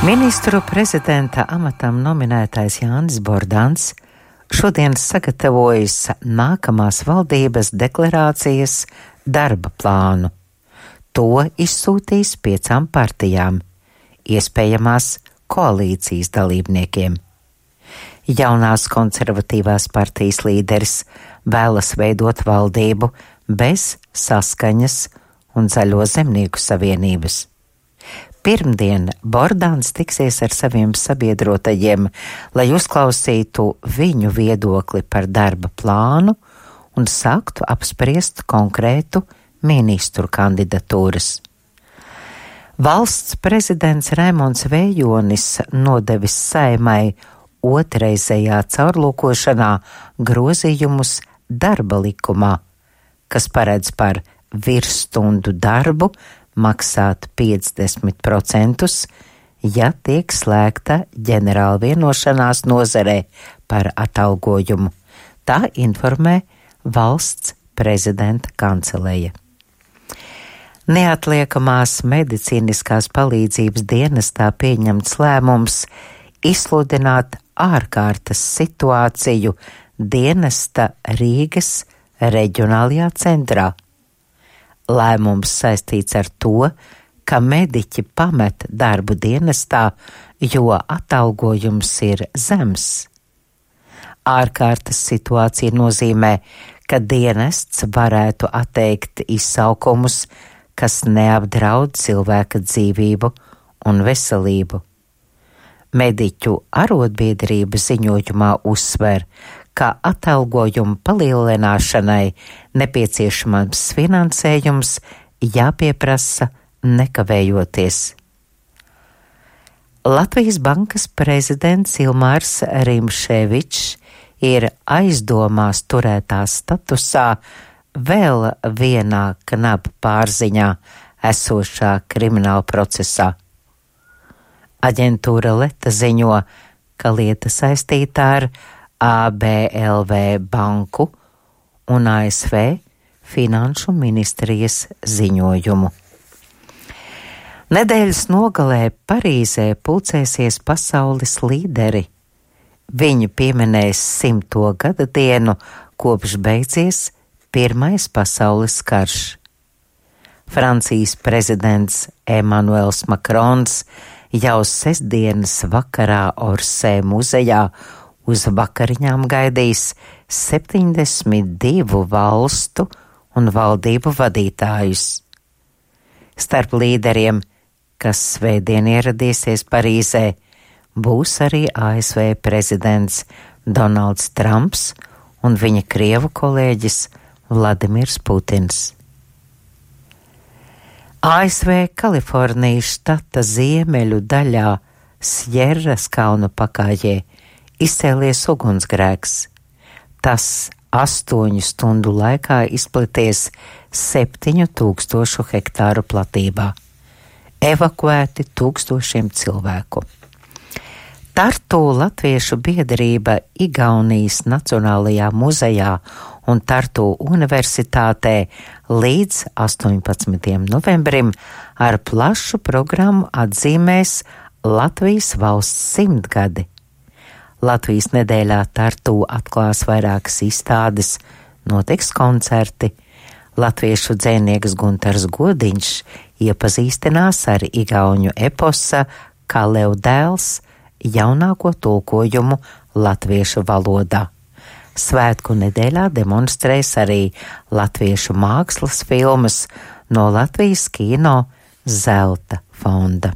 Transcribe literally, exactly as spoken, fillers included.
Ministru prezidenta amatam nominētais Jānis Bordāns šodien sagatavojis nākamās valdības deklarācijas darba plānu. To izsūtīs piecām partijām, iespējamās koalīcijas dalībniekiem. Jaunās konservatīvās partijas līderis vēlas veidot valdību bez Saskaņas un Zaļo zemnieku savienības. Pirmdien Bordāns tiksies ar saviem sabiedrotajiem, lai uzklausītu viņu viedokli par darba plānu un sāktu apspriest konkrētu ministru kandidatūras. Valsts prezidents Raimonds Vējonis nodevis Saeimai otrreizējā caurlūkošanā grozījumus darba likumā, kas paredz par virsstundu darbu maksāt piecdesmit procentus, ja tiek slēgta ģenerāla vienošanās nozarē par atalgojumu. Tā informē valsts prezidenta kanceleja. Neatliekamās medicīniskās palīdzības dienestā pieņemts lēmums izsludināt ārkārtas situāciju dienesta Rīgas reģionālajā centrā. Lēmums saistīts ar to, ka mediķi pamet darbu dienestā, jo atalgojums ir zems. Ārkārtas situācija nozīmē, ka dienests varētu atteikt izsaukumus, kas neapdraud cilvēka dzīvību un veselību. Mediķu arotbiedrība ziņojumā uzsver, ka atalgojumu palielināšanai nepieciešamams finansējums jāpieprasa nekavējoties. Latvijas Bankas prezidents Ilmārs Rimšēvičs ir aizdomās turētā statusā vēl vienā knaba pārziņā esošā krimināla procesā. Aģentūra Leta ziņo, ka lieta saistītā ar A B L V banku un A S V finanšu ministrijas ziņojumu. Nedēļas nogalē Parīzē pulcēsies pasaules līderi. Viņi pieminēs simto gada dienu, kopš beidzies Pirmais pasaules karš. Francijas prezidents Emmanuels Makrons jau sestdienas vakarā Orsē muzejā uz vakariņām gaidīs septiņdesmit divu valstu un valdību vadītājus. Starp līderiem, kas svētdien ieradīsies Parīzē, būs arī A S V prezidents Donalds Trumps un viņa krievu kolēģis Vladimirs Putins. A S V Kalifornijas štata ziemeļu daļā Sjerras kalnu pakājē izcēlies ugunsgrēks. Tas astoņu stundu laikā izplaties septiņu tūkstošu hektāru platībā. Evakuēti tūkstošiem cilvēku. Tartu Latviešu biedrība Igaunijas Nacionālajā muzejā un Tartu universitātē līdz astoņpadsmitajam novembrim ar plašu programmu atzīmēs Latvijas valsts simtgadi. Latvijas nedēļā Tartu atklās vairākas izstādes, notiks koncerti. Latviešu dzejnieks Guntars Godiņš iepazīstinās ar igauņu eposa Kalev dēls jaunāko tulkojumu latviešu valodā. Svētku nedēļā demonstrēs arī latviešu mākslas filmas no Latvijas kino Zelta fonda.